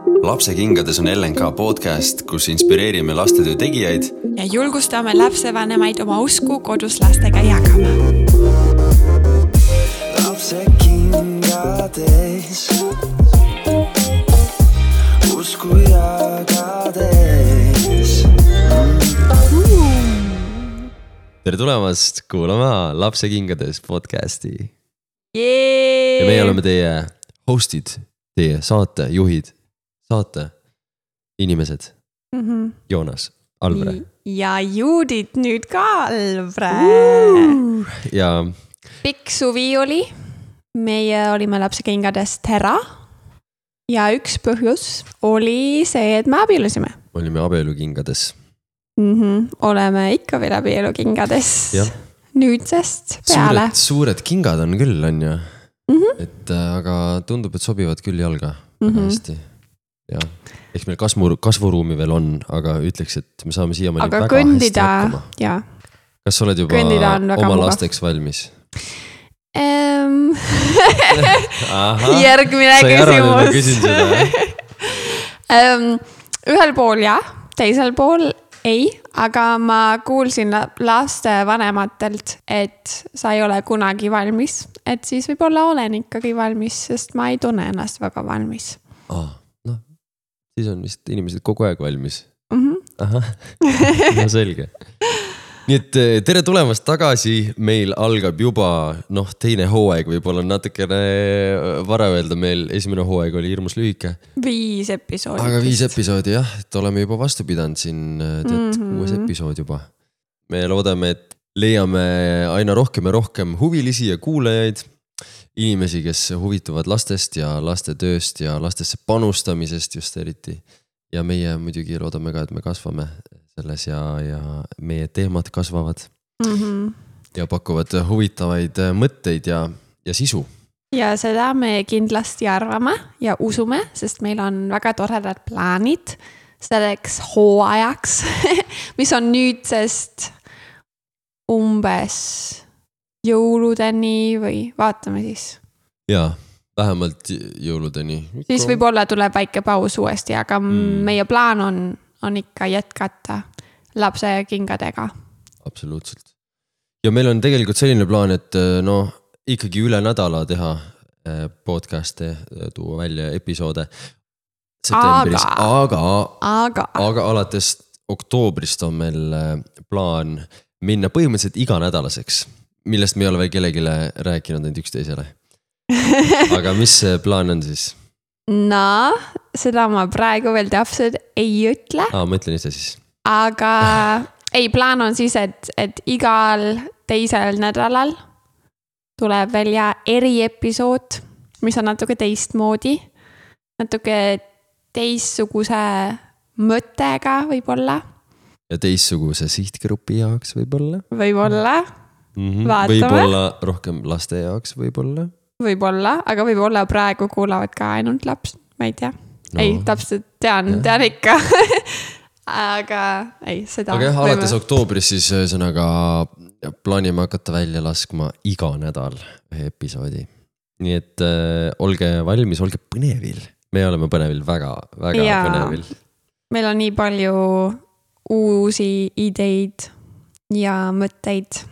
Lapsekingades on LNK podcast, kus inspireerime lastetöö tegijaid ja julgustame lapsevanemaid oma usku kodus lastega jagama. Lapsekingades usku jagades. Tere tulemast kuulama Lapsekingades podcasti. Jee! Ja meie oleme teie hostid, teie saatejuhid, saate inimesed. Joonas, Alvre. Ja Judit nüüd ka Alvre. Ja Pikk suvi oli. Meie olime Lapsekingades Tera. Ja üks põhjus oli see, et me abiellusime. olime abielukingades. Oleme ikka veel abielukingades. Ja. Nüüdsest peale. Suured kingad on küll, on ju. Et, aga tundub, et sobivad küll jalga. Hästi. Ja. Ehk meil kasvuruumi veel on, aga ütleks, et me saame siiamaani aga väga kõndida, hästi hakkama. Ja. Kas sa oled juba oma lasteks valmis? Järgmine küsimus. Sa ei arva, et ma küsin seda. Ühel pool jah, teisel pool ei, aga ma kuulsin laste vanematelt, et sa ei ole kunagi valmis, et siis võib-olla olen ikkagi valmis, sest ma ei tunne ennast väga valmis. Siis on vist inimesed kogu aeg valmis. Ahah, no selge. Nii et tere tulemast tagasi, meil algab juba teine hooaeg, võib-olla natukene vara öelda, meil esimene hooaeg oli hirmus lühike. 5 episoodi. Aga 5 episoodi jah, et oleme juba vastu pidanud siin 6 episood juba. Me loodame, et leiame aina rohkem ja rohkem huvilisi ja kuulajaid, inimesi, kes huvituvad lastest ja laste tööst ja lastesse panustamisest just eriti. Ja meie muidugi loodame ka, et me kasvame selles ja meie teemad kasvavad ja pakuvad huvitavaid mõtteid ja sisu. Ja seda me kindlasti arvame ja usume, sest meil on väga toredad plaanid selleks hooajaks, mis on nüüdsest umbes jõuludeni või vaatame siis. Jaa, vähemalt jõuludeni. Siis võib-olla tuleb väike paus uuesti, aga meie plaan on ikka jätkata lapsekingadega. Absoluutselt. Ja meil on tegelikult selline plaan, et ikkagi üle nädala teha podcast'e, tuua välja episoode septembris. Aga alates oktoobrist on meil plaan minna põhimõtteliselt iganädalaseks, millest me ei ole veel kellegile rääkinud ainult üksteisele. Aga mis see plaan on siis? Seda ma praegu veel täpselt ei ütle. Ma ütlen ise siis. Aga plaan on siis, et igal teisel nädalal tuleb välja eriepisood, mis on natuke teistmoodi, natuke teistsuguse mõttega võib-olla. Ja teistsuguse sihtgrupi jaoks võib-olla. Võib-olla. Võib-olla rohkem laste jaoks võib-olla. Võib-olla, aga võib-olla praegu kuulavad ka ainult laps, ma ei tea. Ei, täpselt tean ikka. Aga ei, seda. Aga alates oktoobris siis sõnaga plaanime hakata välja laskma iga nädal ühe episoodi. Nii et olge valmis, olge põnevil. Me oleme põnevil väga põnevil. Meil on nii palju uusi ideid ja mõtteid.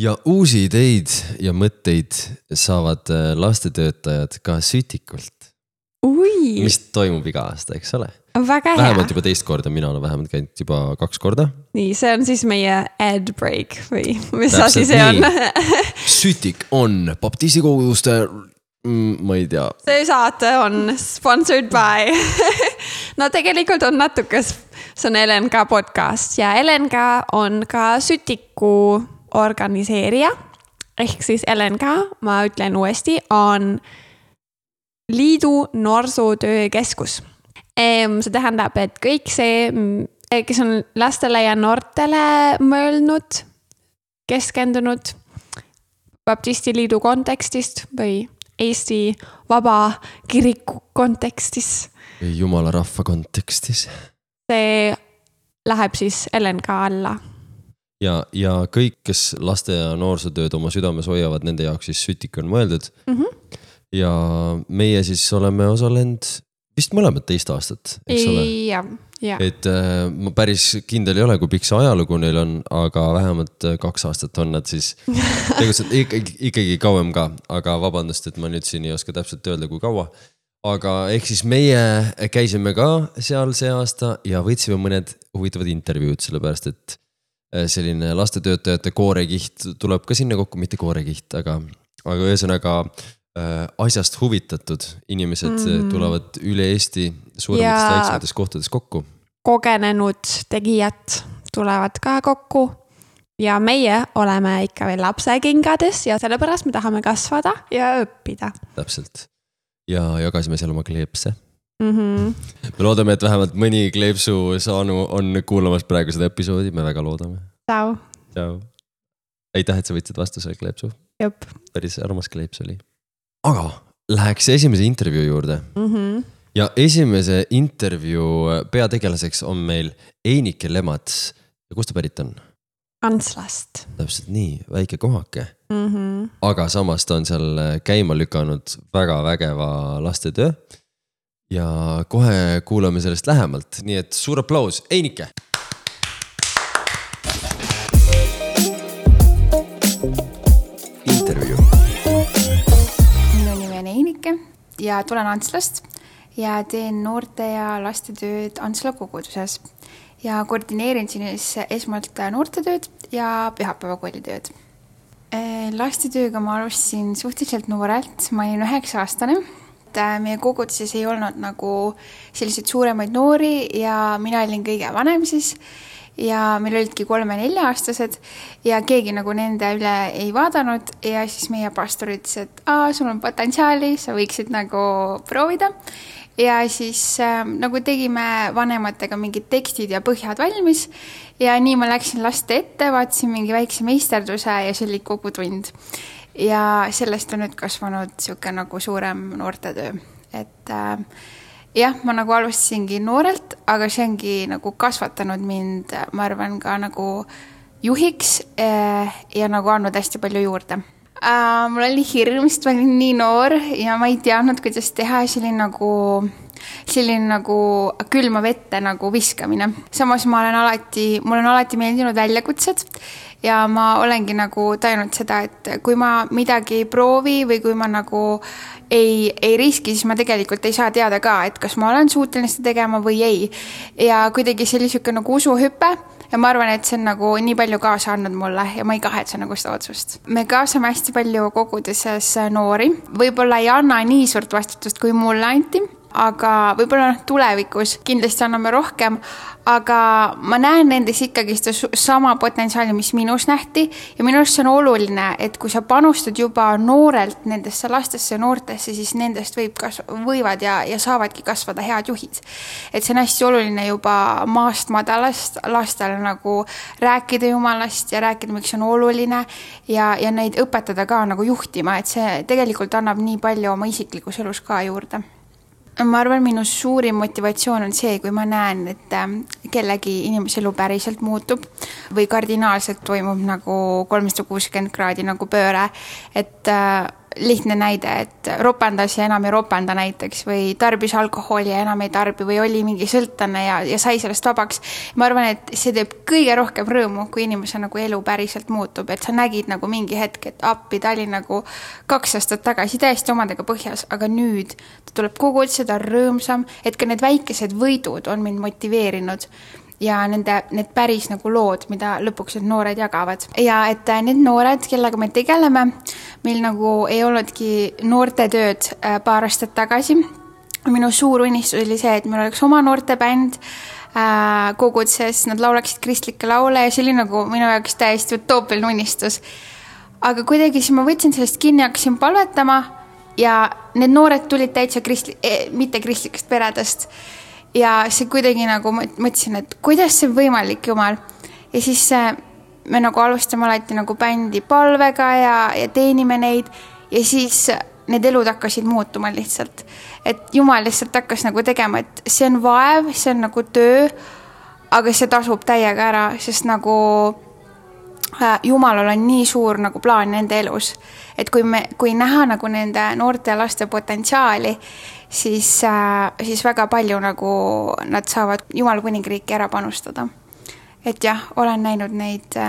Ja uusi ideid ja mõtteid saavad lastetöötajad ka Sütikult. Mis toimub iga aasta, eks ole? Väga hea. Vähemalt juba teist korda, mina olen vähemalt käinud juba 2 korda. Nii, see on siis meie ad break või mis asi see on? Sütik on baptistikoguduste, ma ei tea. See saate on sponsored by. No tegelikult on natuke, see on LNK podcast ja LNK on ka Sütiku organiseerija, ehk siis LNK, ma ütlen uuesti, on liidu noorsootöökeskus. See tähendab, et kõik see, kes on lastele ja noortele mõelnud, keskendunud baptistiliidu kontekstist või Eesti Vaba Kiriku kontekstis. Jumala rahva kontekstis. See läheb siis LNK alla. Ja kõik, kes laste ja noorsootööd oma südames hoiavad, nende jaoks siis Sütik on mõeldud. Ja meie siis oleme osalenud vist mõlemad 2 aastat, eks ole? Ja. Et ma päris kindel ei ole, kui pikk see ajalugu neil on, aga vähemalt 2 aastat on nad siis tegutsenud ikkagi kauem ka, aga vabandust, et ma nüüd siin ei oska täpselt öelda, kui kaua. Aga ehk siis meie käisime ka seal see aasta ja võtsime mõned huvitavad intervjuud, sellepärast et selline lastetöötajate koorekiht tuleb ka sinna kokku, mitte koorekiht, aga ühesõnaga asjast huvitatud inimesed tulevad üle Eesti suuremates väiksemates kohtades kokku. Kogenenud tegijad tulevad ka kokku ja meie oleme ikka veel lapsekingades ja sellepärast me tahame kasvada ja õppida. Täpselt. Ja jagasime seal oma kleepse. Me loodame, et vähemalt mõni kleepsu saanu on kuulamas praegu seda episoodi, me väga loodame. Ciao. Ciao. Aitäh, et sa võtsid vastu selle kleepsu. Jop. Päris armas kleeps oli. Aga läheks esimese intervjuu juurde. Ja esimese intervjuu peategelaseks on meil Einike Lemats. Ja kust ta pärit on? Antslast. Täpselt nii, väike kohake. Aga samas ta on seal käima lükanud väga vägeva lastetöö. Ja kohe kuulame sellest lähemalt. Nii et suur aplaus, Einike! Intervjuu. Minu nimi on Einike ja tulen Antslast ja teen noorte ja lastetööd Antsla koguduses ja koordineerin siis esmalt noortetööd ja pühapäevakoolitööd. Lastetööga ma alustasin suhteliselt noorelt, ma olin 9-aastane. Meie koguduses ei olnud nagu selliseid suuremaid noori ja mina olin kõige vanem siis ja meil olidki 3-4-aastased ja keegi nagu nende üle ei vaadanud ja siis meie pastor ütles, et sul on potentsiaali, sa võiksid nagu proovida ja siis nagu tegime vanematega mingid tekstid ja põhjad valmis ja nii ma läksin laste ette, vaatasin mingi väikse meisterduse ja see oli kogu tund ja sellest on nüüd kasvanud siuke nagu suurem noortetöö, et jah, ma nagu alustasingi noorelt, aga see ongi nagu kasvatanud mind, ma arvan, ka nagu juhiks ja nagu andnud hästi palju juurde. Mul oli hirm, sest ma olin nii noor ja ma ei teadnud, kuidas teha, selline nagu külma vette nagu viskamine. Samas mul on alati meeldinud väljakutsed ja ma olengi nagu tajunud seda, et kui ma midagi ei proovi või kui ma nagu ei riski, siis ma tegelikult ei saa teada ka, et kas ma olen suuteline seda tegema või ei. Ja kuidagi see oli siuke nagu usuhüpe ja ma arvan, et see on nagu nii palju kaasa andnud mulle ja ma ei kahetse nagu seda otsust. Me kaasame hästi palju koguduses noori. Võib-olla ei anna nii suurt vastutust, kui mulle anti, aga võib-olla tulevikus kindlasti anname rohkem, aga ma näen nendes ikkagi sama potentsiaali, mis minus nähti ja minust see on oluline, et kui sa panustad juba noorelt nendesse lastesse ja noortesse, siis nendest võivad ja saavadki kasvada head juhid. Et see on hästi oluline juba maast madalast lastele nagu rääkida Jumalast ja rääkida, miks on oluline ja neid õpetada ka nagu juhtima, et see tegelikult annab nii palju oma isiklikus elus ka juurde. Ma arvan, minu suurim motivatsioon on see, kui ma näen, et kellegi inimese elu päriselt muutub või kardinaalselt toimub nagu 360 kraadi nagu pööre, et lihtne näide, et ropendas ja enam ei ropenda näiteks või tarbis alkoholi ja enam ei tarbi või oli mingi sõltane ja sai sellest vabaks. Ma arvan, et see teeb kõige rohkem rõõmu, kui inimese nagu elu päriselt muutub, et sa nägid nagu mingi hetk, et appi ta oli nagu 2 aastat tagasi täiesti omadega põhjas, aga nüüd ta tuleb kogu seda rõõmsam, et ka need väikesed võidud on mind motiveerinud ja need päris nagu lood, mida lõpuks need noored jagavad. Ja et need noored, kellega me tegeleme, meil nagu ei olnudki noortetööd paar aastat tagasi. Minu suur unistus oli see, et meil oleks oma noortebänd koguduses, nad laulaksid kristlikke laule ja see oli nagu minu jaoks täiesti utoopiline unistus. Aga kuidagi siis ma võtsin sellest kinni, hakkasin palvetama ja need noored tulid täitsa mitte kristlikest peredest. Ja see kuidagi nagu mõtlesin, et kuidas see võimalik, Jumal. Ja siis me nagu alustame alati nagu bändi palvega ja teenime neid ja siis need elud hakkasid muutuma lihtsalt. Et Jumal lihtsalt hakkas nagu tegema, et see on vaev, see on nagu töö, aga see tasub täiega ära, sest nagu Jumalal on nii suur nagu plaan nende elus. Et kui näha nagu nende noorte ja laste potentsiaali, siis väga palju nagu nad saavad Jumala kuningriiki ära panustada. Et jah, olen näinud neid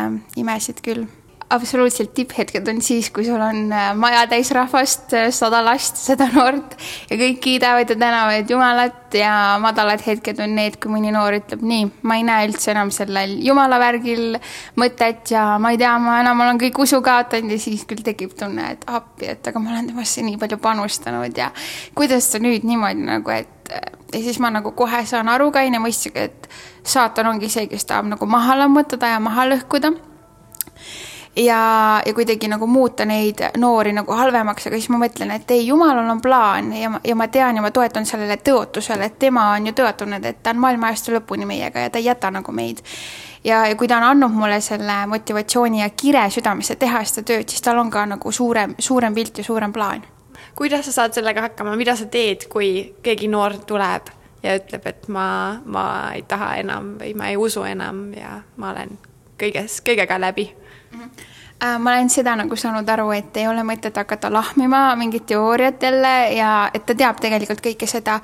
imesid küll. Absoluutselt tipphetked on siis, kui sul on maja täis rahvast, 100 last, 100 noort ja kõik kiidavad ja tänavad Jumalat ja madalad hetked on need, kui mõni noor ütleb nii, ma ei näe üldse enam sellel Jumala värgil mõtet ja ma ei tea, ma enam olen kõik usu kaotanud ja siis küll tekib tunne, et appi, et aga ma olen temasse nii palju panustanud ja kuidas ta nüüd niimoodi nagu, et ja siis ma nagu kohe saan aru kaine mõistsiga, et saatan ongi see, kes tahab nagu maha lammutada ja maha lõhkuda. Ja kuidagi nagu muuta neid noori nagu halvemaks, aga siis ma mõtlen, et ei, Jumalal on plaan ja ma tean ja ma toetan sellele tõotusele, et tema on ju tõotunud, et ta on maailma ajastu lõpuni meiega ja ta ei jäta nagu meid. Ja kui ta on andnud mulle selle motivatsiooni ja kire südamesse teha seda tööd, siis tal on ka nagu suurem pilt ja suurem plaan. Kuidas sa saad sellega hakkama? Mida sa teed, kui keegi noor tuleb ja ütleb, et ma ei taha enam või ma ei usu enam ja ma olen kõigega läbi? Ma olen seda nagu saanud aru, et ei ole mõtet hakata lahmima mingit teooriat jälle ja et ta teab tegelikult kõike seda.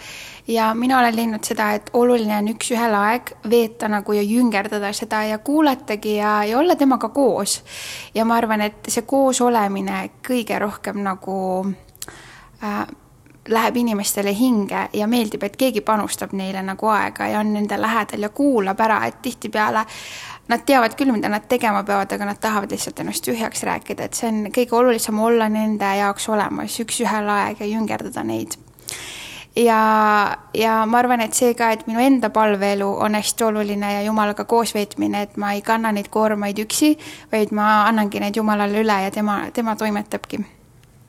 Ja mina olen leidnud seda, et oluline on üks ühel aeg veeta nagu ja jüngerdada seda ja kuulatagi ja olla temaga koos. Ja ma arvan, et see koos olemine kõige rohkem nagu läheb inimestele hinge ja meeldib, et keegi panustab neile nagu aega ja on nende lähedal ja kuulab ära, et tihtipeale nad teavad küll, mida nad tegema peavad, aga nad tahavad lihtsalt ennast tühjaks rääkida, et see on kõige olulisem olla nende jaoks olemas üks ühel aeg ja jüngerdada neid. Ja ma arvan, et see ka, et minu enda palveelu on hästi oluline ja Jumalaga koos veetmine, et ma ei kanna neid koormaid üksi, vaid ma annangi neid Jumalale üle ja tema toimetabki.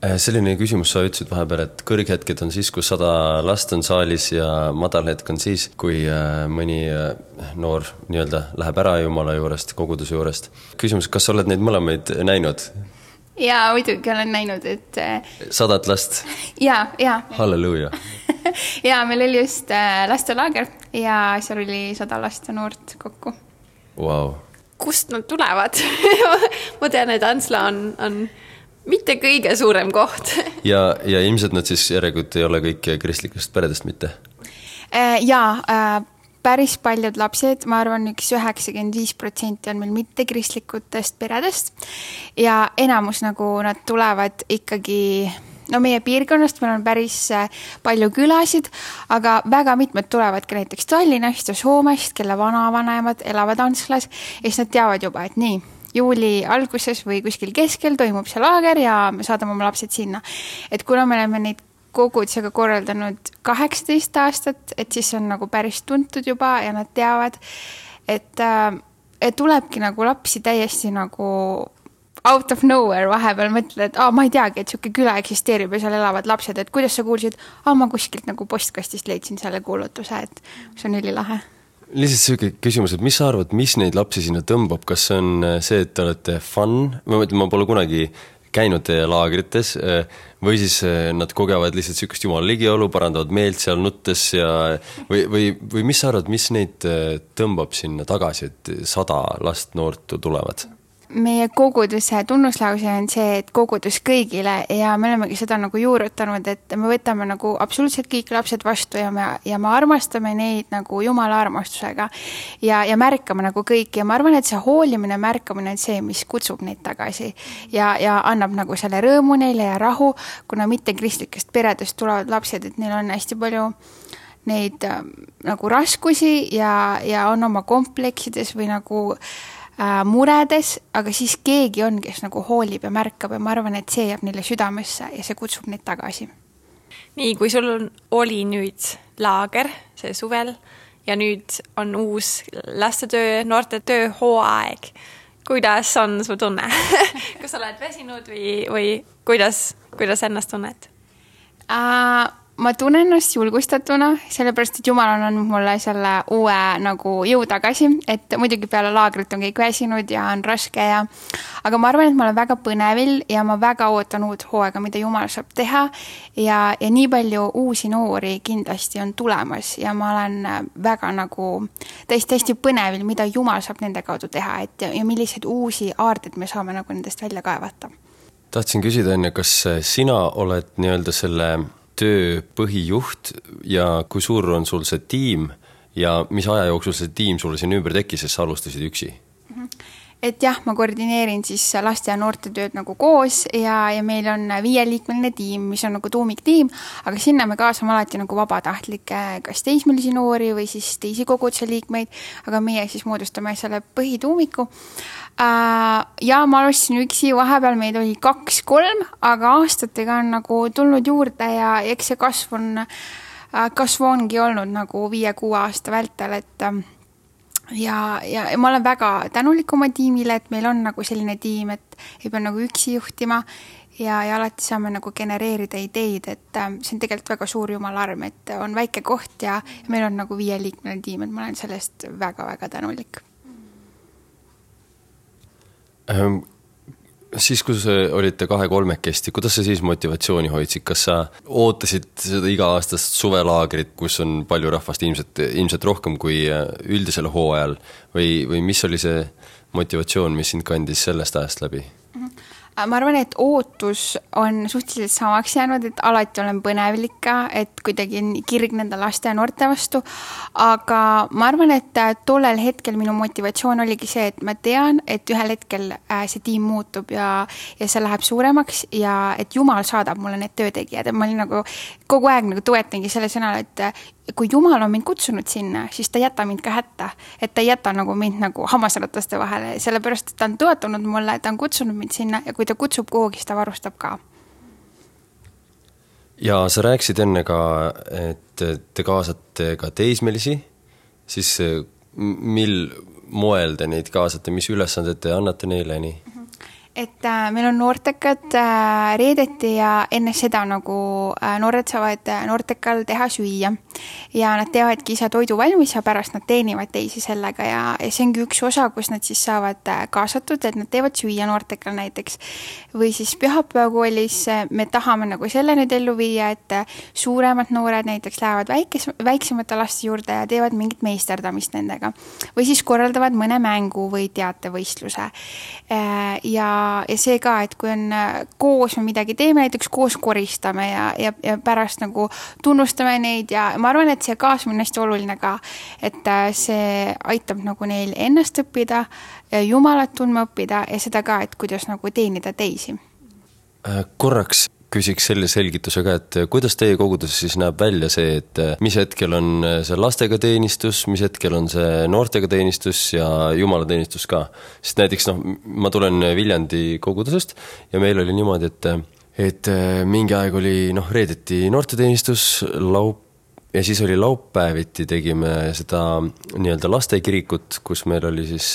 Selline küsimus, sa ütlesid vahepeal, et kõrghetked on siis, kui 100 last on saalis ja madalhetk on siis, kui mõni noor nii-öelda läheb ära Jumala juurest, koguduse juurest. Küsimus, kas sa oled neid mõlemaid näinud? Jaa, muidugi olen näinud, et 100 last? Jaa. Halleluuja. Jaa, meil oli just lastelaager ja seal oli 100 last ja noort kokku. Wow. Kust nad tulevad? Ma tean, et Antsla on mitte kõige suurem koht. ja ilmselt nad siis järelikult ei ole kõik kristlikust peredest mitte? Jaa, päris paljud lapsed, ma arvan, 95% on meil mitte kristlikutest peredest ja enamus nagu nad tulevad ikkagi, no meie piirkonnast meil on päris palju külasid, aga väga mitmed tulevad ka näiteks Tallinnast ja Soomest, kelle vanavanemad elavad Antslas ja siis nad teavad juba, et nii, juuli alguses või kuskil keskel toimub see laager ja me saadame oma lapsed sinna. Et kuna me oleme neid kogudusega korraldanud 18 aastat, et siis on nagu päris tuntud juba ja nad teavad, et tulebki nagu lapsi täiesti nagu out of nowhere vahepeal mõtled, et ma ei teagi, et siuke küla eksisteerib ja seal elavad lapsed, et kuidas sa kuulsid, ma kuskilt nagu postkastist leidsin selle kuulutuse, et see on ülilahe. Lihtsalt selline küsimus, et mis sa arvad, mis neid lapsi sinna tõmbab? Kas see on see, et te olete fun? Ma pole kunagi käinud teie laagrites või siis nad kogevad lihtsalt sükust Jumala ligiolu, parandavad meelt seal nuttes või mis sa arvad, mis neid tõmbab sinna tagasi, et 100 last noort tulevad? Meie koguduse tunnuslause on see, et kogudus kõigile ja me olemegi seda nagu juurutanud, et me võtame nagu absoluutselt kõik lapsed vastu ja me armastame neid nagu Jumala armastusega ja märkame nagu kõik ja ma arvan, et see hoolimine märkamine on see, mis kutsub neid tagasi ja annab nagu selle rõõmu neile ja rahu, kuna mitte kristlikest peredest tulevad lapsed, et neil on hästi palju neid nagu raskusi ja on oma kompleksides või nagu muredes, aga siis keegi on, kes nagu hoolib ja märkab ja ma arvan, et see jääb neile südamesse ja see kutsub neid tagasi. Nii, kui sul oli nüüd laager see suvel ja nüüd on uus lastetöö, noortetöö hooaeg, kuidas on su tunne? Kas sa oled väsinud või kuidas ennast tunned? Ma tunnen ennast julgustatuna, sellepärast, et Jumal on andnud mulle selle uue nagu jõu tagasi, et muidugi peale laagrit on kõik väsinud ja on raske aga ma arvan, et ma olen väga põnevil ja ma väga ootan uut hooaega, mida Jumal saab teha ja nii palju uusi noori kindlasti on tulemas ja ma olen väga nagu täiesti põnevil, mida Jumal saab nende kaudu teha ja milliseid uusi aarteid me saame nagu nendest välja kaevata. Tahtsin küsida enne, kas sina oled nii-öelda selle töö põhijuht ja kui suur on sul see tiim ja mis aja jooksul see tiim sulle siin ümber tekkis, sest sa alustasid üksi? Et jah, ma koordineerin siis laste ja noorte tööd nagu koos ja meil on 5-liikmeline tiim, mis on nagu tuumiktiim, aga sinna me kaasame alati nagu vabatahtlikke, kas teismelisi noori või siis teisi koguduse liikmeid, aga meie siis moodustame selle põhituumiku. Ja ma alustasin üksi, vahepeal meid oli 2-3, aga aastatega on nagu tulnud juurde ja eks see kasv ongi olnud nagu 5-6 aasta vältel, et ja ma olen väga tänulik oma tiimile, et meil on nagu selline tiim, et ei pea nagu üksi juhtima ja alati saame nagu genereerida ideid, et see on tegelikult väga suur jumala arm, et on väike koht ja meil on nagu 5-liikmeline tiim, et ma olen sellest väga-väga tänulik. Siis, kui olite 2-3-kesti, kuidas sa siis motivatsiooni hoidsid? Kas sa ootasid seda iga-aastast suvelaagrit, kus on palju rahvast, ilmselt rohkem kui üldisel hooajal? Või mis oli see motivatsioon, mis sind kandis sellest ajast läbi? Ma arvan, et ootus on suhteliselt samaks jäänud, et alati olen põnevlika, et kuidagi kirg nende laste ja noorte vastu, aga ma arvan, et tollel hetkel minu motivatsioon oligi see, et ma tean, et ühel hetkel see tiim muutub ja see läheb suuremaks ja et Jumal saadab mulle need töötegijad, et ma olin nagu kogu aeg nagu toetangi selle sõnal, et kui Jumal on mind kutsunud sinna, siis ta jäta mind ka hätta, et ta jäta nagu mind nagu hammasrataste vahele, sellepärast, et ta on toetanud mulle, ta on kutsunud mind sinna ja kui ta kutsub kuhugi, siis ta varustab ka. Ja sa rääkisid enne ka, et te kaasate ka teismelisi, siis mil moel te neid kaasate, mis ülesanded te annate neile nii? Et meil on noortekad reedeti ja enne seda nagu noored saavad noortekal teha süüa ja nad teevadki ise toidu valmis ja pärast nad teenivad teisi sellega ja see ongi üks osa, kus nad siis saavad kaasatud, et nad teevad süüa noortekal näiteks või siis pühapäevakoolis me tahame nagu selle nüüd ellu viia, et suuremad noored näiteks lähevad väiksemate laste juurde ja teevad mingit meisterdamist nendega või siis korraldavad mõne mängu või teatevõistluse ja see ka, et kui on koos me midagi teeme, näiteks koos koristame ja pärast nagu tunnustame neid ja ma arvan, et see kaasamine on hästi oluline ka, et see aitab nagu neil ennast õppida, Jumalat tundma õppida ja seda ka, et kuidas nagu teenida teisi. Korraks küsiks selle selgituse ka, et kuidas teie koguduses siis näeb välja see, et mis hetkel on see lastega teenistus, mis hetkel on see noortega teenistus ja Jumala teenistus ka. Sest näiteks ma tulen Viljandi kogudusest ja meil oli niimoodi, et mingi aeg oli reedeti noorteteenistus, ja siis oli laupäeviti tegime seda nii-öelda lastekirikut, kus meil oli siis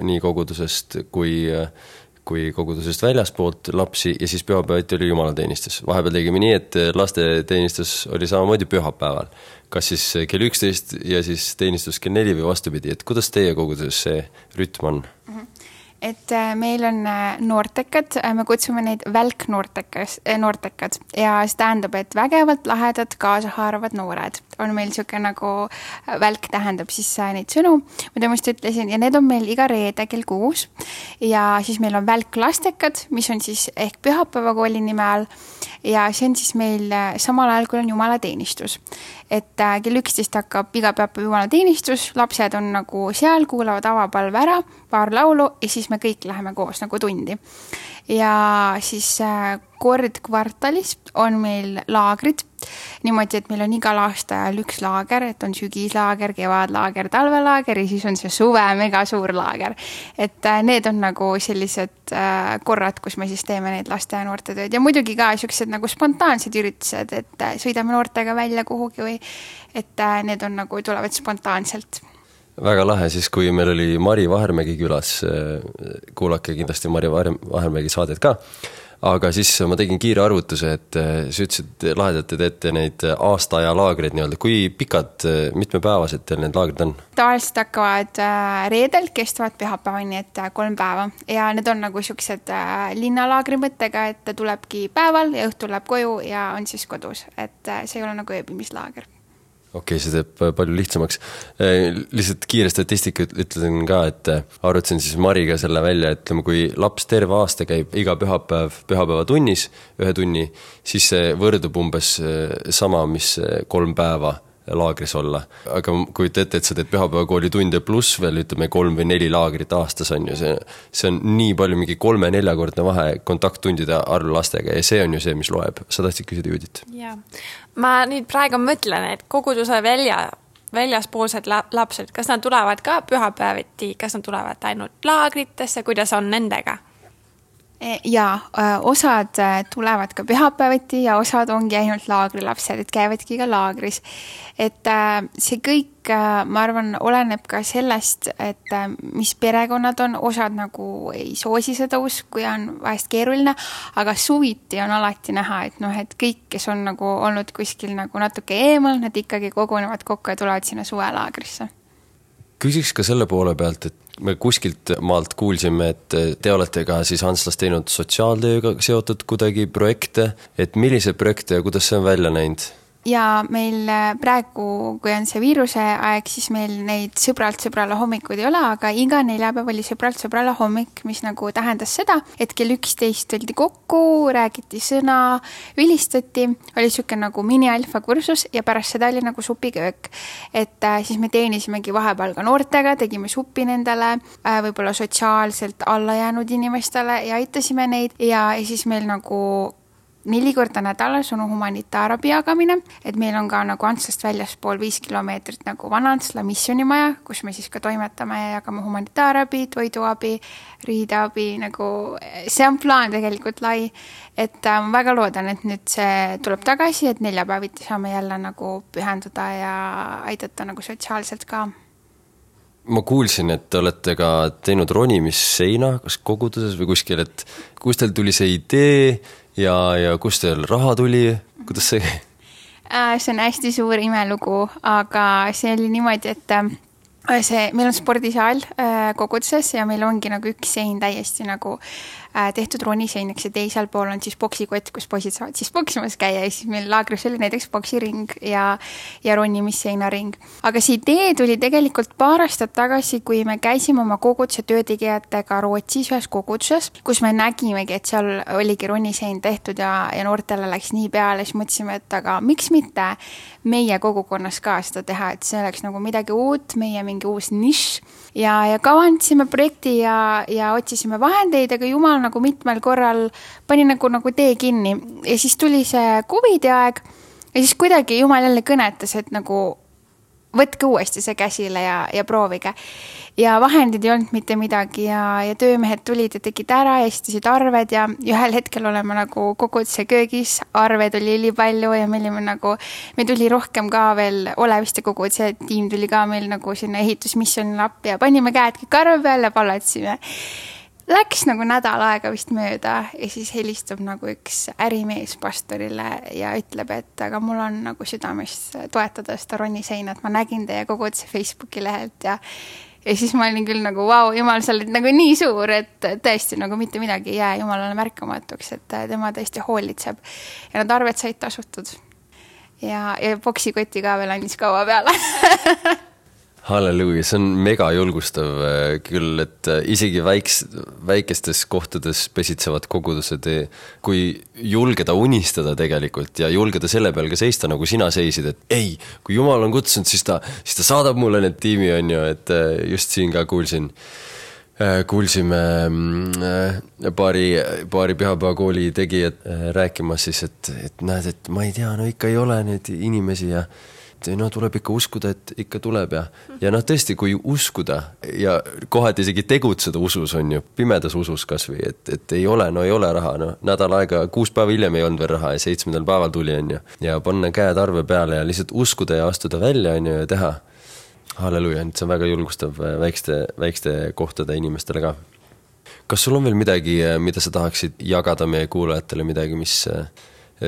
nii kogudusest kui kogudusest väljaspoolt lapsi ja siis pühapäevati oli jumalateenistus. Vahepeal tegime nii, et lasteteenistus oli samamoodi pühapäeval. Kas siis kell 11 ja siis teenistus kell 4 või vastupidi, et kuidas teie koguduses see rütm on? Et meil on noortekad, me kutsume neid välknoortekad ja see tähendab, et vägevalt lahedad kaasahaaravad noored. On meil siuke nagu välk tähendab siis neid sõnu, mida ma just ütlesin ja need on meil iga reede kell 6 ja siis meil on välklastekad, mis on siis ehk pühapäevakooli nime all ja see on siis meil samal ajal, kui on jumalateenistus. Et kell 11 hakkab iga pühapäev jumalateenistus, lapsed on nagu seal, kuulavad avapalve ära, paar laulu ja siis me kõik läheme koos nagu tundi. Ja siis kord kvartalis on meil laagrid, niimoodi, et meil on igal aastal üks laager, et on sügislaager, kevadlaager, talvelaager ja siis on see suve mega suur laager. Et need on nagu sellised korrad, kus me siis teeme neid laste ja noorte tööd ja muidugi ka siuksed nagu spontaansed üritused, et sõidame noortega välja kuhugi või et need on nagu tulevad spontaanselt. Väga lahe, siis kui meil oli Mari Vahermägi külas, kuulake kindlasti Mari Vahermägi saadet ka, aga siis ma tegin kiire arvutuse, et sa ütlesid lahedalt, te teete neid aastaaja laagreid nii-öelda. Kui pikad, mitmepäevased teil need laagrid on? Tavaliselt hakkavad reedel, kestavad pühapäevani, et 3 päeva ja need on nagu siuksed linnalaagri mõttega, et tulebki päeval ja õhtul läheb koju ja on siis kodus, et see ei ole nagu ööbimislaager. Okei, see teeb palju lihtsamaks. Lihtsalt kiire statistika ütlen ka, et arvutasin siis Mariga selle välja, et kui laps terve aasta käib iga pühapäeva tunnis, 1 tunni, siis see võrdub umbes sama, mis 3 päeva laagris olla. Aga kui ette, et sa teed pühapäevakooli tunde pluss veel, ütleme 3 või 4 laagrit aastas on ju, see on nii palju mingi 3-4 kordne vahe kontakttundide arv lastega ja see on ju see, mis loeb. Sa tahtsid küsida Judit? Jaa. Ma nüüd praegu mõtlen, et koguduse väljaspoolsed lapsed, kas nad tulevad ka pühapäeviti, kas nad tulevad ainult laagritesse, kuidas on nendega? Ja osad tulevad ka pühapäeviti ja osad ongi ainult laagrilapsed, et käivadki ka laagris. Et see kõik, ma arvan, oleneb ka sellest, et mis perekonnad on, osad nagu ei soosi seda usku ja on vahest keeruline, aga suviti on alati näha, et et kõik, kes on nagu olnud kuskil nagu natuke eemal, nad ikkagi kogunevad kokku ja tulevad sinna suvelaagrisse. Küsiks ka selle poole pealt, et me kuskilt maalt kuulsime, et te olete ka siis Antslas teinud sotsiaaltööga seotud kuidagi projekte, et millise projekte ja kuidas see on välja näinud? Ja meil praegu, kui on see viiruse aeg, siis meil neid sõbralt sõbrala hommikuid ei ole, aga iga neljapäev oli sõbralt sõbrala hommik, mis nagu tähendas seda, et kell 11 tuldi kokku, räägiti sõna, vilistati, oli siuke nagu mini-alfa kursus ja pärast seda oli nagu supiköök. Et siis me teenisimegi vahepeal ka noortega, tegime suppi nendele, võib-olla sotsiaalselt alla jäänud inimestele ja aitasime neid ja siis meil nagu 4 korda nädalas on humanitaarabi jagamine, et meil on ka nagu Antslast väljaspool 5 kilomeetrit nagu Vana-Antsla missionimaja, kus me siis ka toimetame ja jagame humanitaarabi, toiduabi, riideabi, nagu see on plaan tegelikult lai, et ma väga loodan, et nüüd see tuleb tagasi, et neljapäeviti saame jälle nagu pühenduda ja aidata nagu sotsiaalselt ka. Ma kuulsin, et te olete ka teinud ronimisseina, kas koguduses või kuskil, et kus teil tuli see idee ja kus teil raha tuli, kuidas see? See on hästi suur imelugu, aga see oli niimoodi, et meil on spordisaal koguduses ja meil ongi nagu üks sein täiesti nagu tehtud roniseinaks ja teisel pool on siis boksikott, kus poisid saavad siis boksimas käia ja siis meil laagris oli näiteks boksiring ja ronimisseinaring. Aga see idee tuli tegelikult paar aastat tagasi, kui me käisime oma koguduse töötegijatega Rootsis ühes koguduses, kus me nägimegi, et seal oligi ronisein tehtud ja noortele läks nii peale, siis mõtlesime, et aga miks mitte meie kogukonnas ka seda teha, et see oleks nagu midagi uut, meie mingi uus nišš ja kavandasime projekti ja otsisime vahendeid, aga jumal nagu mitmel korral pani nagu tee kinni ja siis tuli see COVID aeg ja siis kuidagi jumal jälle kõnetas, et nagu võtke uuesti see käsile ja proovige. Ja vahendid ei olnud mitte midagi ja töömehed tulid ja tegid ära ja esitasid arved ja ühel hetkel oleme nagu koguduse köögis, arved oli nii palju ja me tuli rohkem ka veel Oleviste koguduse tiim tuli ka meil nagu sinna ehitusmissionile appi ja panime käed kõik arve peale ja pallatsime. Läks nagu nädal aega vist mööda ja siis helistab nagu üks ärimees pastorile ja ütleb, et aga mul on nagu südames toetada seda roniseinat, ma nägin teie koguduse Facebooki lehelt ja siis ma olin küll nagu vau, jumal, sa oled nagu nii suur, et tõesti nagu mitte midagi ei jää jumalale märkamatuks, et tema tõesti hoolitseb ja nad arved said tasutud ja boksikoti ka veel andis kaua peale. Halleluuja, see on mega julgustav küll, et isegi väikestes kohtades pesitsevad kogudused, kui julgeda unistada tegelikult ja julgeda selle peal ka seista, nagu sina seisid, et ei, kui Jumal on kutsunud, siis ta saadab mulle need tiimi, on ju, et just siin ka kuulsime paari pühapäevakooli tegijad rääkimas siis, et näed, et ma ei tea, no ikka ei ole neid inimesi ja no tuleb ikka uskuda, et ikka tuleb ja tõesti, kui uskuda ja kohati isegi tegutseda usus on ju, pimedas usus kasvõi, et ei ole raha, nädal aega, 6 päeva hiljem ei olnud veel raha ja 7. päeval tuli on ju ja panna käed arve peale ja lihtsalt uskuda ja astuda välja on ju ja teha. Halleluuja, see on väga julgustav väikeste kohtade inimestele ka. Kas sul on veel midagi, mida sa tahaksid jagada meie kuulajatele, midagi, mis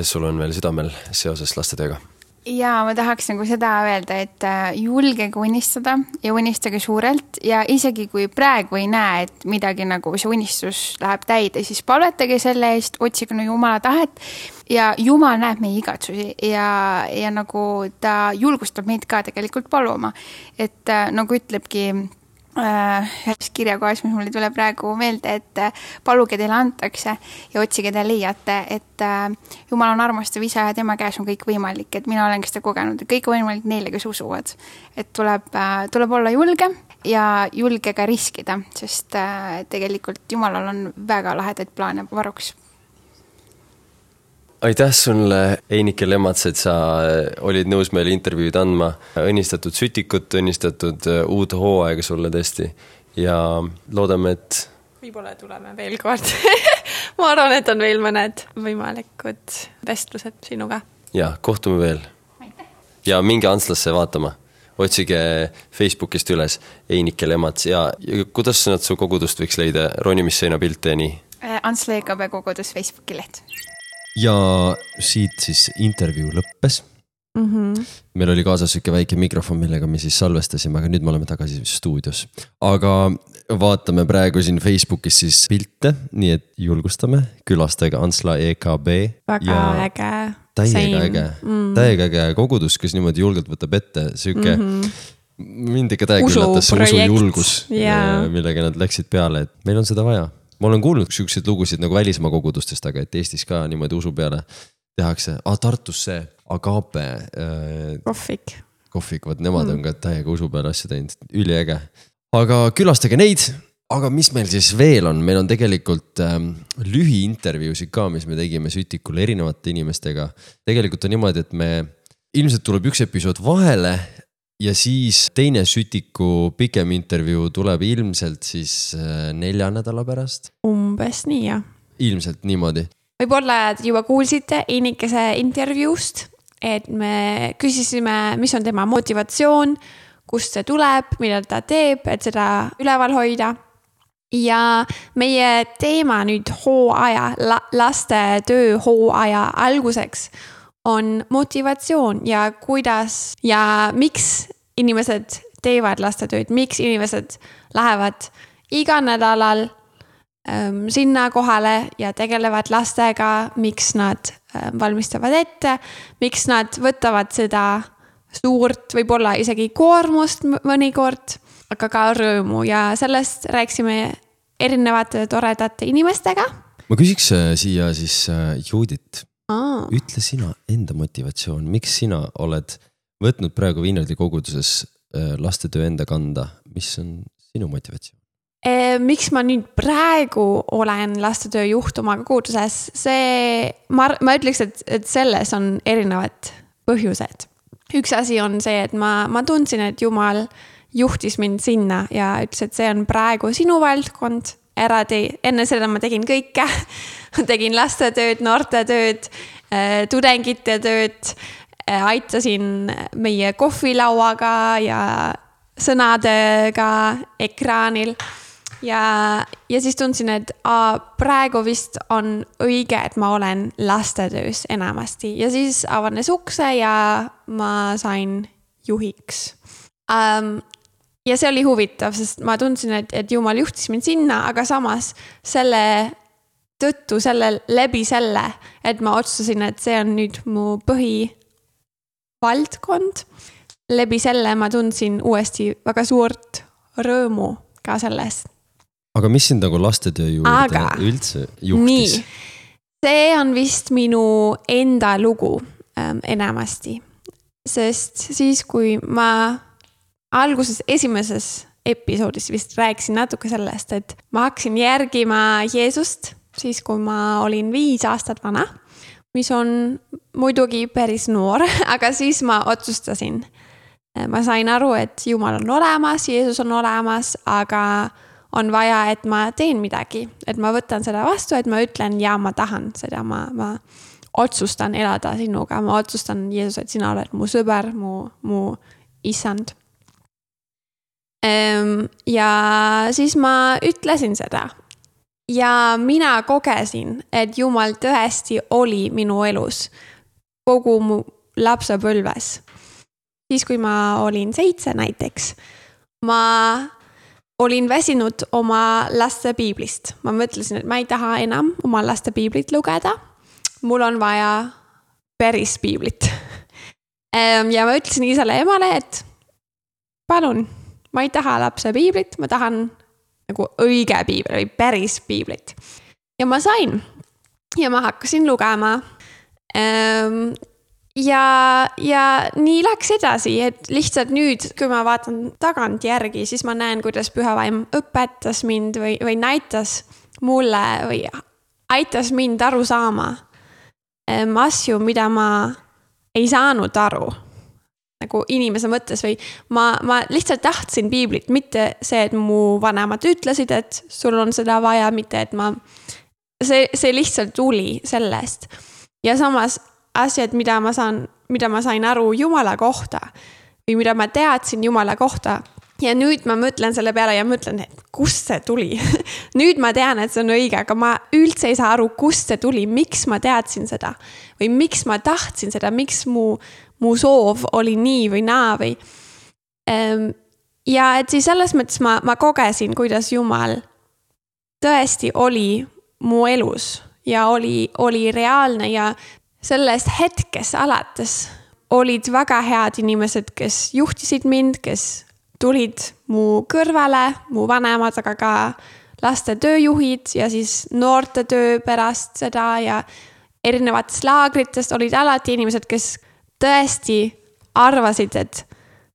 sul on veel südamel seoses lastetööga? ja ma tahaks nagu seda öelda, et julgege unistada ja unistage suurelt ja isegi kui praegu ei näe, et midagi nagu see unistus läheb täide, siis palvetage selle eest, otsige no Jumala tahet ja Jumal näeb meie igatsusi ja nagu ta julgustab meid ka tegelikult paluma. Et nagu ütlebki ühes kirjakohas, mis mulle tuleb praegu meelde, et paluge teile antakse ja otsige te leiate, et Jumal on armastav isa ja tema käes on kõik võimalik, et mina olen seda kogenud, et kõik on võimalik neile, kes usuvad. Et tuleb olla julge ja julge ka riskida, sest tegelikult Jumalal on väga lahedaid plaane varuks. Aitäh sulle, Einike Lemats, et sa olid nõus meile intervjuud andma. Õnnistatud sütikut, õnnistatud uut hooaega sulle tõesti ja loodame, et... Võib-olla tuleme veel kord. Ma arvan, et on veel mõned võimalikud vestlused sinuga. Ja, kohtume veel. Ja minge Antslasse vaatama. Otsige Facebookist üles Einike Lemats ja kuidas nad su kogudust võiks leida? Ronimisseina pilte ja nii? Antsla EKB kogudus Facebooki leht. Ja siit siis intervjuu lõppes. Meil oli kaasas üke väike mikrofon, millega me siis salvestasime, aga nüüd me oleme tagasi stuudios. Aga vaatame praegu siin Facebookis siis pilte, nii et julgustame, külastage Antsla EKB. Väga äge. Täiega äge kogudus, kes niimoodi julgelt võtab ette. Süke mind ikka täiega üllatas see usujulgus, millega nad läksid peale, et meil on seda vaja. Ma olen kuulnud selliseid lugusid nagu välismaa kogudustest, aga et Eestis ka niimoodi usu peale tehakse. Tartus see Agape kohvik, vaat nemad on ka täiega usu peale asja teinud. Üliäge. Aga külastage neid. Aga mis meil siis veel on? Meil on tegelikult lühiintervjuusid ka, mis me tegime Sütikule erinevate inimestega. Tegelikult on niimoodi, et me ilmselt tuleb üks episood vahele ja siis teine Sütiku pikem intervjuu tuleb ilmselt siis 4 nädala pärast. Umbes nii, jah. Ilmselt niimoodi. Võib-olla juba kuulsite Einikese intervjuust, et me küsisime, mis on tema motivatsioon, kust see tuleb, mida ta teeb, et seda üleval hoida. Ja meie teema nüüd hooaja, laste töö hooaja alguseks on motivatsioon ja kuidas ja miks inimesed teevad lastetööd, miks inimesed lähevad iga nädalal sinna kohale ja tegelevad lastega, miks nad valmistavad ette, miks nad võtavad seda suurt, võib-olla isegi koormust mõnikord, aga ka rõõmu ja sellest rääksime erinevate toredate inimestega. Ma küsiks siia siis Judit. Ütle sina enda motivatsioon, miks sina oled võtnud praegu Viinardi koguduses lastetöö enda kanda, mis on sinu motivatsioon? Miks ma nüüd praegu olen lastetöö juht oma koguduses, ma ütleks, et selles on erinevad põhjused. Üks asi on see, et ma tundsin, et Jumal juhtis mind sinna ja ütles, et see on praegu sinu valdkond. Enne seda ma tegin kõike, tegin lastetööd, noortetööd, tudengite tööd, aitasin meie kohvilauaga ja sõnadega ekraanil ja siis tundsin, et praegu vist on õige, et ma olen lastetöös enamasti ja siis avanes ukse ja ma sain juhiks. Ja see oli huvitav, sest ma tundsin, et Jumal juhtis mind sinna, aga samas selle tõttu, läbi selle, et ma otsustasin, et see on nüüd mu põhivaldkond. Läbi selle ma tundsin uuesti väga suurt rõõmu ka sellest. Aga mis sind nagu lastetöö juurde üldse juhtis? Nii, see on vist minu enda lugu enamasti. Sest siis, kui ma alguses esimeses episoodis vist rääkisin natuke sellest, et ma hakkasin järgima Jeesust, siis kui ma olin 5 aastat vana, mis on muidugi päris noor, aga siis ma otsustasin. Ma sain aru, et Jumal on olemas, Jeesus on olemas, aga on vaja, et ma teen midagi, et ma võtan seda vastu, et ma ütlen, ja ma tahan seda, ma otsustan elada sinuga, ma otsustan, Jeesus, et sina oled mu sõber, mu issand. Ja siis ma ütlesin seda ja mina kogesin, et Jumal tõesti oli minu elus kogu mu lapsepõlves. Siis, kui ma olin 7 näiteks, ma olin väsinud oma laste piiblist. Ma mõtlesin, et ma ei taha enam oma laste piiblit lugeda. Mul on vaja päris piiblit. Ja ma ütlesin isale ja emale, et palun, ma ei taha lapse piiblit, ma tahan nagu õige piibel või päris piiblit. Ja ma sain ja ma hakkasin lugema. Ja nii läks edasi, et lihtsalt nüüd, kui ma vaatan tagant järgi, siis ma näen, kuidas Pühavaim õpetas mind või näitas mulle või aitas mind aru saama asju, mida ma ei saanud aru nagu inimese mõttes või ma lihtsalt tahtsin piiblit, mitte see, et mu vanemad ütlesid, et sul on seda vaja, mitte et see lihtsalt tuli sellest. Ja samas asjad, mida ma sain aru Jumala kohta või mida ma teadsin Jumala kohta. Ja nüüd ma mõtlen selle peale ja mõtlen, et kust see tuli. Nüüd ma tean, et see on õige, aga ma üldse ei saa aru, kust see tuli, miks ma teadsin seda või miks ma tahtsin seda, miks mu soov oli nii või naa või. Ja et siis selles mõttes ma kogesin, kuidas Jumal tõesti oli mu elus ja oli reaalne ja sellest hetkes alates olid väga head inimesed, kes juhtisid mind, kes tulid mu kõrvale, mu vanemad, aga ka laste tööjuhid ja siis noorte töö pärast seda ja erinevatest laagritest olid alati inimesed, kes tõesti arvasid, et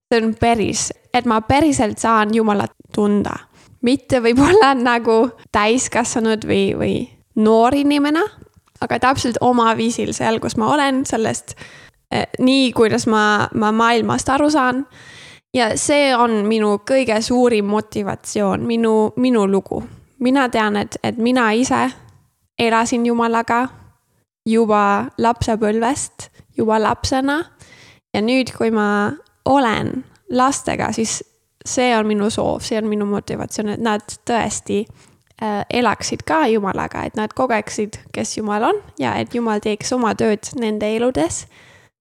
see on päris, et ma päriselt saan Jumalat tunda. Mitte võib-olla nagu täiskasvanud või noor inimene, aga täpselt oma viisil seal, kus ma olen, sellest nii, kuidas ma maailmast aru saan. Ja see on minu kõige suurim motivatsioon, minu lugu. Mina tean, et mina ise elasin Jumalaga juba lapsepõlvest, juba lapsena. Ja nüüd, kui ma olen lastega, siis see on minu soov, see on minu motivatsioon, et nad tõesti elaksid ka Jumalaga, et nad kogeksid, kes Jumal on ja et Jumal teeks oma tööd nende eludes.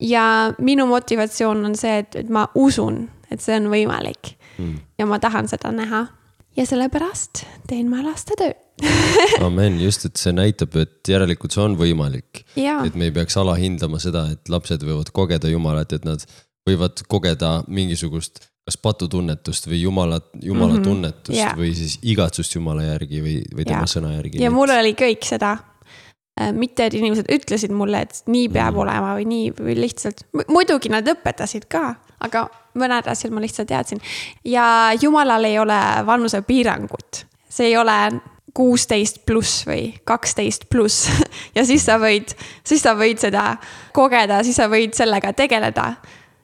Ja minu motivatsioon on see, et ma usun, et see on võimalik ja ma tahan seda näha ja sellepärast teen ma laste töö. Amen, just, et see näitab, et järelikult see on võimalik. Ja. Et me ei peaks alahindama seda, et lapsed võivad kogeda Jumalat, et nad võivad kogeda mingisugust kas patutunnetust või Jumala tunnetust või siis igatsust Jumala järgi või tema sõna järgi. Ja mul oli kõik seda. Mitte, et inimesed ütlesid mulle, et nii peab olema või nii või lihtsalt. Muidugi nad õpetasid ka, aga mõned asjad ma lihtsalt teadsin. Ja Jumalal ei ole vanuse piirangut. See ei ole 16 pluss või 12 pluss. Ja siis sa võid seda kogeda, siis sa võid sellega tegeleda.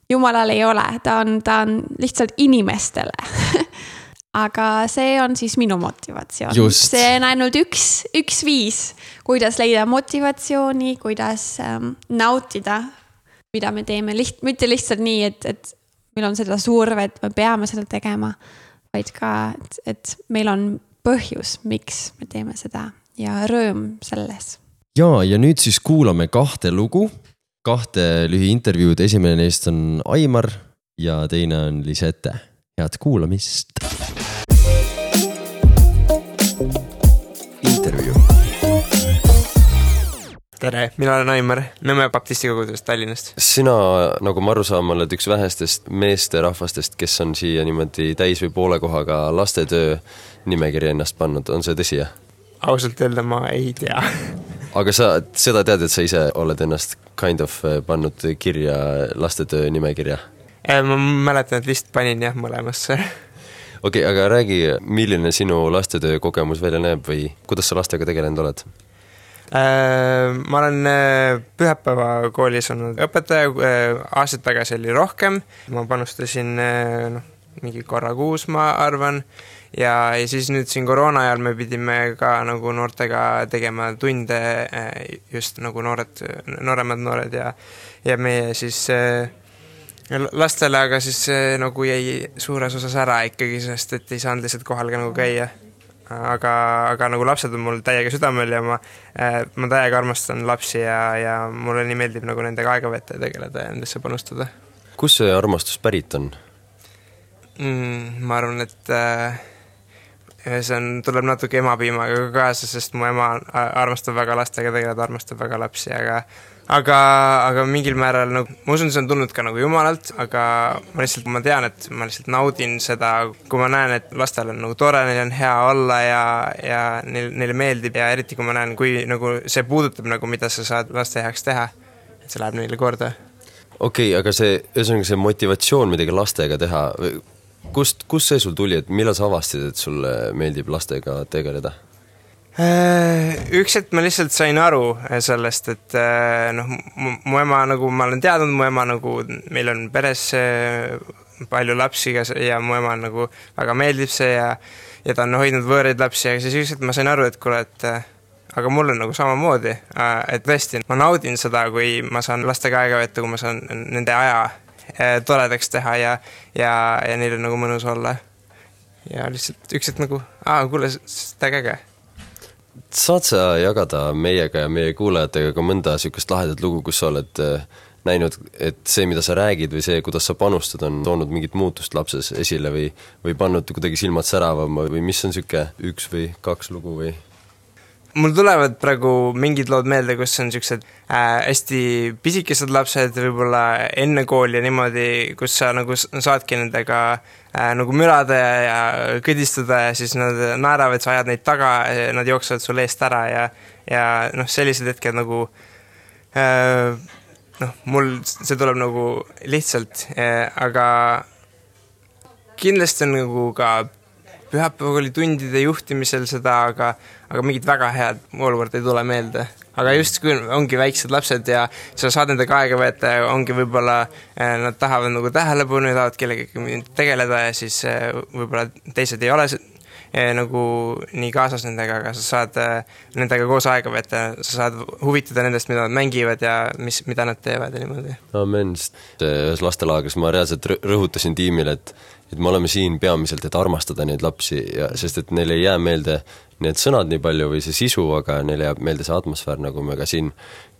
Jumalal ei ole, ta on lihtsalt inimestele. Aga see on siis minu motivatsioon. Just. See on ainult üks viis, kuidas leida motivatsiooni, kuidas nautida, mida me teeme. Mitte lihtsalt nii, et meil on seda surve, et me peame seda tegema, vaid ka, et meil on põhjus, miks me teeme seda ja rõõm selles. Ja nüüd siis kuulame 2 lugu, 2 lühiintervjuud. Esimene neist on Aimar ja teine on Lisette. Head kuulamist. Intervju. Tere, mina olen Aimar, Nõmme baptisti kogudusest Tallinnast. Sina, nagu ma aru saan, oled üks vähestest meesterahvastest, kes on siia niimoodi täis või poole kohaga lastetöö nimekirja ennast pannud. On see tõsi, jah? Ausalt öelda ma ei tea. Aga sa seda tead, et sa ise oled ennast kind of pannud kirja lastetöö nimekirja? Ma mäletan, et vist panin jah mõlemasse. Okei, aga räägi, milline sinu lastetöö kogemus välja näeb või kuidas sa lastega tegelenud oled? Ma olen Pühapäeva koolis olnud õpetaja, aastaid tagasi oli rohkem. Ma panustasin mingi korra kuus, ma arvan. Ja siis nüüd siin koroona ajal me pidime ka nagu noortega tegema tunde, just nagu nooremad noored ja meie siis lastele, aga siis nagu jäi suures osas ära ikkagi, sest et ei saanud lihtsalt kohal ka nagu käia. aga nagu lapsed on mul täiega südamel ja ma täiega armastan lapsi ja mulle nii meeldib nagu nendega aega võtta ja tegeleda ja nendesse panustada. Kus see armastus pärit on? Ma arvan, et see tuleb natuke emapiimaga kaasa, sest mu ema armastab väga lastega tegeleda, armastab väga lapsi, aga mingil määral nagu, ma usun, see on tulnud ka nagu jumalalt, aga ma tean, et ma lihtsalt naudin seda, kui ma näen, et lastel on nagu tore, neil on hea olla ja neile meeldib ja eriti kui ma näen, kui nagu see puudutab nagu, mida sa saad laste heaks teha, et see läheb neile korda. Okei, aga see motivatsioon midagi lastega teha, kust see sul tuli, et millal sa avastid, et sulle meeldib lastega tegeleda? Üks hetk ma lihtsalt sain aru sellest, et mu ema nagu, ma olen teadnud, mu ema nagu, meil on peres palju lapsi ja mu ema nagu väga meeldib see ja ta on hoidnud võõraid lapsi, aga siis üks hetk ma sain aru, et kuule, et aga mul on nagu samamoodi, et tõesti, ma naudin seda, kui ma saan lastega aega võtta, kui ma saan nende aja toredaks teha ja neil on nagu mõnus olla. Ja lihtsalt üks hetk nagu, kuule, seda käge. Saad sa jagada meiega ja meie kuulajatega ka mõnda sükest lahedat lugu, kus sa oled näinud, et see, mida sa räägid või see, kuidas sa panustad, on toonud mingit muutust lapses esile või pannud kuidagi silmad säravama või mis on süke 1 või 2 lugu või? Mul tulevad praegu mingid lood meelde, kus on sellised hästi pisikesed lapsed võib-olla enne kooli ja niimoodi, kus sa nagu saadki nendega nagu mürada ja kõdistada ja siis nad naeravad, sa ajad neid taga, nad jooksevad sul eest ära ja sellised hetked nagu mul see tuleb nagu lihtsalt, aga kindlasti on nagu ka pühapäevakooli tundide juhtimisel seda, aga mingid väga head olukord ei tule meelde. Aga just kui ongi väiksed lapsed ja sa saad nendega aega võtta ja ongi võib-olla nad tahavad nagu tähelepanu ja tahavad kellegagi tegeleda ja siis võib-olla teised ei ole nagu nii kaasas nendega, aga sa saad nendega koos aega võtta, sa saad huvitada nendest, mida nad mängivad ja mida nad teevad ja niimoodi. Amen, sest ühes lastelaagris ma reaalselt rõhutasin tiimile, et me oleme siin peamiselt, et armastada neid lapsi, sest et neile ei jää meelde need sõnad nii palju või see sisu, aga neile jääb meelde see atmosfäär, nagu me ka siin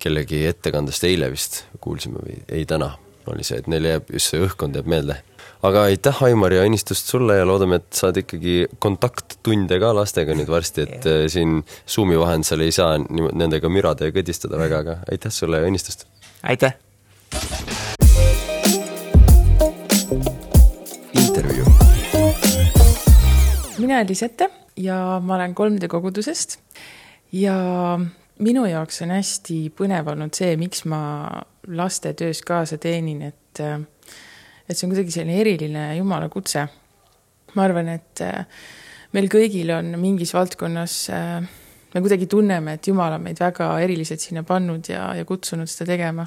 kellegi ettekandest eile vist kuulsime või ei täna oli see, et neile jääb just see õhkkond jääb meelde. Aga aitäh, Aimar, ja õnnistust sulle ja loodame, et saad ikkagi kontakttunde ka lastega nüüd varsti, et siin Zoomi vahendusel ei saa nendega mürada ja kõdistada väga, aga aitäh sulle ja õnnistust! Aitäh! Intervju. Mina olen Lisette ja ma olen 3D kogudusest ja minu jaoks on hästi põnev olnud see, miks ma laste töös kaasa teenin, et see on kuidagi selline eriline Jumala kutse. Ma arvan, et meil kõigil on mingis valdkonnas, me kuidagi tunneme, et Jumal on meid väga eriliselt sinna pannud ja kutsunud seda tegema.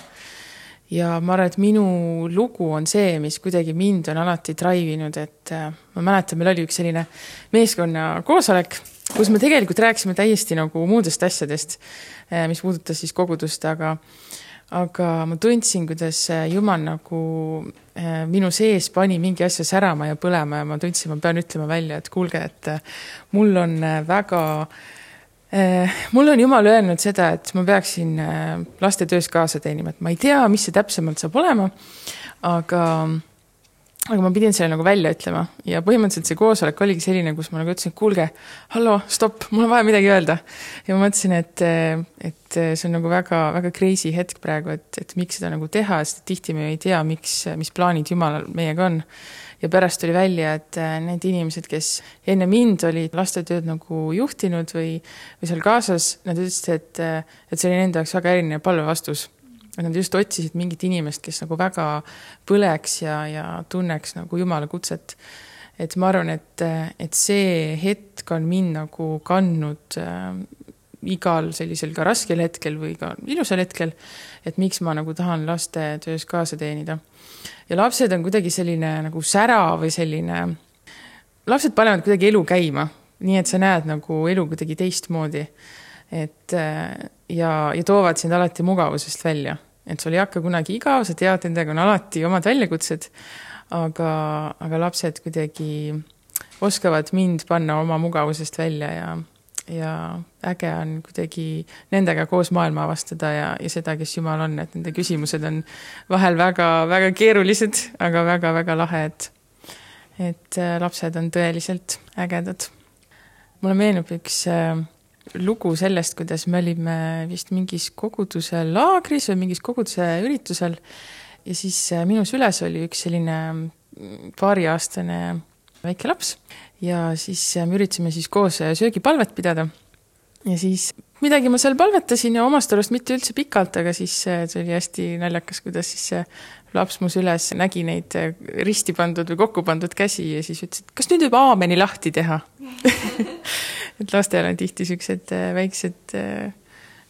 Ja ma arvan, et minu lugu on see, mis kuidagi mind on alati draivinud, et ma mäletan, meil oli üks selline meeskonna koosolek, kus me tegelikult rääkisime täiesti nagu muudest asjadest, mis puudutas siis kogudust, aga ma tundsin, kuidas Jumal nagu minu sees pani mingi asja särama ja põlema ja ma tundsin, ma pean ütlema välja, et kuulge, et mul on Jumal öelnud seda, et ma peaksin laste töös kaasa teenima, et ma ei tea, mis see täpsemalt saab olema, aga ma pidin selle nagu välja ütlema ja põhimõtteliselt see koosolek oligi selline, kus ma nagu ütlesin, et kuulge, hallo, stopp, mul on vaja midagi öelda. Ja ma mõtlesin, et see on nagu väga, väga crazy hetk praegu, et miks seda nagu teha, sest tihti me ei tea, mis plaanid Jumalal meiega on. Ja pärast tuli välja, et need inimesed, kes enne mind olid lastetööd nagu juhtinud või seal kaasas, nad ütlesid, et see oli nende jaoks väga eriline palvevastus. Nad just otsisid mingit inimest, kes nagu väga põleks ja tunneks nagu Jumala kutset. Et ma arvan, et see hetk on mind nagu kandnud igal sellisel ka raskel hetkel või ka ilusal hetkel, et miks ma nagu tahan laste töös kaasa teenida. Ja lapsed on kuidagi selline nagu sära või selline, lapsed panevad kuidagi elu käima, nii et sa näed nagu elu kuidagi teistmoodi. Ja toovad sind alati mugavusest välja. Et sul ei hakka kunagi igav, sa tead, nendega on alati omad väljakutsed, aga lapsed kuidagi oskavad mind panna oma mugavusest välja ja äge on kuidagi nendega koos maailma avastada ja seda, kes Jumal on, et nende küsimused on vahel väga-väga keerulised, aga väga-väga lahe, et lapsed on tõeliselt ägedad. Mulle meenub üks lugu sellest, kuidas me olime vist mingis koguduse laagris või mingis koguduse üritusel ja siis minu süles oli üks selline 2-aastane väike laps ja siis me üritasime siis koos söögipalvet pidada ja siis midagi ma seal palvetasin ja omast arust mitte üldse pikalt, aga siis see oli hästi naljakas, kuidas siis see laps mu süles nägi neid risti pandud või kokku pandud käsi ja siis ütles, et kas nüüd võib aameni lahti teha? Et lastel on tihti siuksed väiksed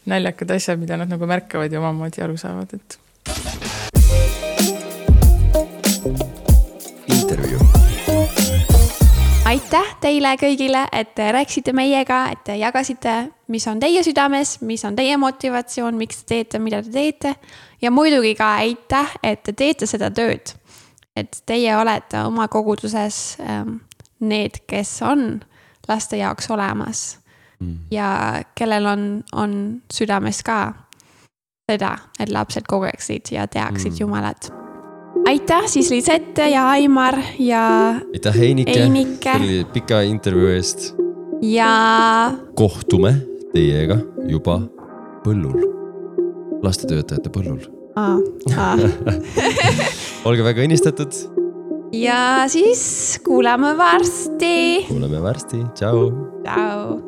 naljakad asjad, mida nad nagu märkavad ja omamoodi aru saavad, et intervjuu. Aitäh teile kõigile, et te rääksite meiega, et te jagasite, mis on teie südames, mis on teie motivatsioon, miks te teete, mida te teete. Ja muidugi ka aitäh, et te teete seda tööd. Et teie olete oma koguduses need, kes on laste jaoks olemas ja kellel on südames ka seda, et lapsed kogeksid ja teaksid Jumalat. Aitäh siis Lisette ja Aimar ja aitäh Einike. Selle pika intervjuu eest. Ja kohtume teiega juba põllul. Lastetöötajate põllul. Olge väga õnnistatud. Ja siis kuuleme varsti. Kuuleme varsti. Ciao. Ciao.